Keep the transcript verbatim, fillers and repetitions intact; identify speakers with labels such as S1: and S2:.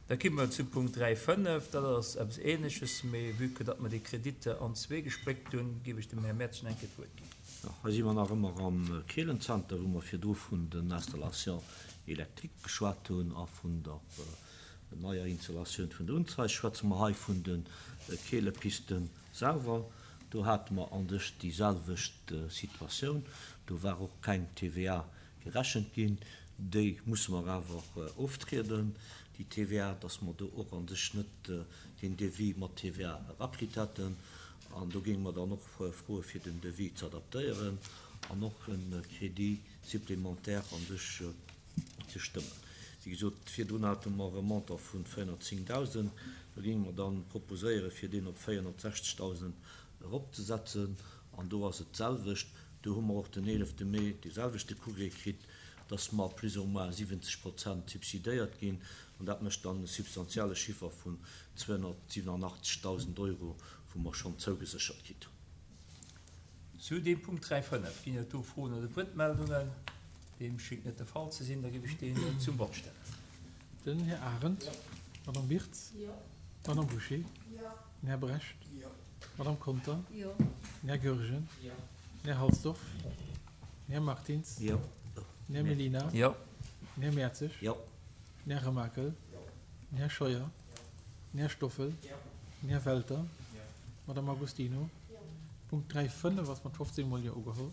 S1: Da komme mer zu Punkt dräi fënnef. Dat ass eppes Ähnleches, mee vue que datt mer déi Kreditter an zwee gespléckt hunn, géif ech dem Här Mertgen eng Kéier d'Wuert ginn.
S2: Jo, hei si mer nach ëmmer am Keelenzenter, wou mer virdru vun den Installations électriques geschwat hunn a vun der neier Installatioun vun der Unzeig. Schwätze mer hei vun de Keelepisten selwer. Do hate mer an sech déi selwecht Situatioun. Do war och keng T V A gerechent ginn. Déi musse mer awer oftrieden, déi T V A, dass mer do och an sech net den Devis mat T V A erakritt hätten. An do géinge mer dann och froe fir den Devis ze adaptéieren an och e Crédit supplémentaire an sech ze stëmmen. Wéi gesot, virdrun hate mer e Montant vun véierhonnertzéngdausend, do géinge mer dann proposéiere fir deen op véierhonnertsechzegdausend eropzesetzen. An do ass et d'selwecht. Do hu mer och den eelefte Mee dee selwechte Courrier kritt, dass mer plus ou moins siwwenzeg Prozent subsidéiert ginn. An dat mécht dann e substantielle Chiffer vun zweehonnertsiwwenachtzegdausend Euro, wou mer schonn zougeséchert kritt hunn.
S1: Zu deem Punkt dräi fënnef ginn et do Froen oder Wuertmeldungen? Deem schéngt net de Fall ze sinn. Da géif ech deen zum Vott stellen.
S3: Den Här Arendt. D'Madame Wirtz. D'Madame Bouché. Den Här Brecht. D'Madame Conter. Den Här Goergen. Den Här Halsdorf. Den Här Martins. Den Här Mellina. Den Här Mertzig. Den Här Remakel. Den Här Scheuer. Den Här Stoffel. Den Här Welter. D'Madame Agostino. Punkt dräi fënnef ass mat fofzéng mol Jo ugeholl.